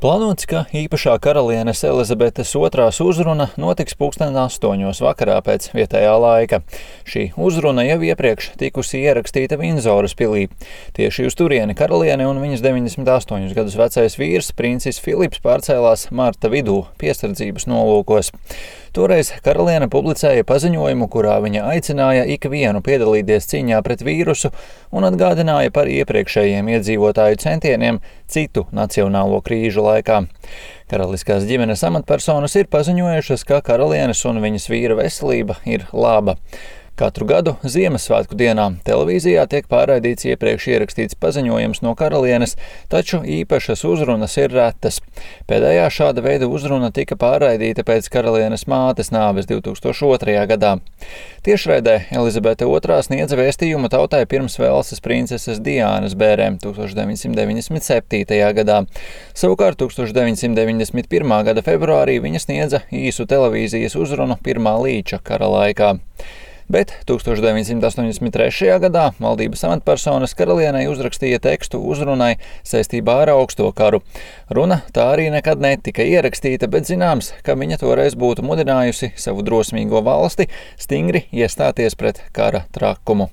Plānots, ka īpašā karalienes Elizabetes II uzruna notiks 8:00 vakarā pēc vietējā laika. Šī uzruna jau iepriekš tikusi ierakstīta Vindzoras pilī. Tieši uz turieni karaliene un viņas 98 gadus vecais vīrs, princis Filips, pārcēlās marta vidū piesardzības nolūkos. Toreiz karaliene publicēja paziņojumu, kurā viņa aicināja ikvienu piedalīties cīņā pret vīrusu un atgādināja par iepriekšējiem iedzīvotāju centieniem citu nacionālo krīžu laikā. Karaliskās ģimenes amatpersonas ir paziņojušas, ka karalienes un viņas vīra veselība ir laba. Katru gadu Ziemassvētku dienā televīzijā tiek pārraidīts iepriekš ierakstīts paziņojums no karalienes, taču īpašas uzrunas ir retas. Pēdējā šāda veida uzruna tika pārraidīta pēc karalienes mātes nāves 2002. gadā. Tiešraidē Elizabete II sniedza vēstījumu tautai pirms Velses princeses Diānas bērēm 1997. gadā. Savukārt 1991. gada februārī viņa sniedza īsu televīzijas uzrunu pirmā Līča kara laikā. Bet 1983. gadā valdības amatpersonas karalienei uzrakstīja tekstu uzrunai saistībā ar augsto karu. Runa tā arī nekad netika ierakstīta, bet zināms, ka viņa toreiz būtu mudinājusi savu drosmīgo valsti stingri iestāties pret kara trakumu.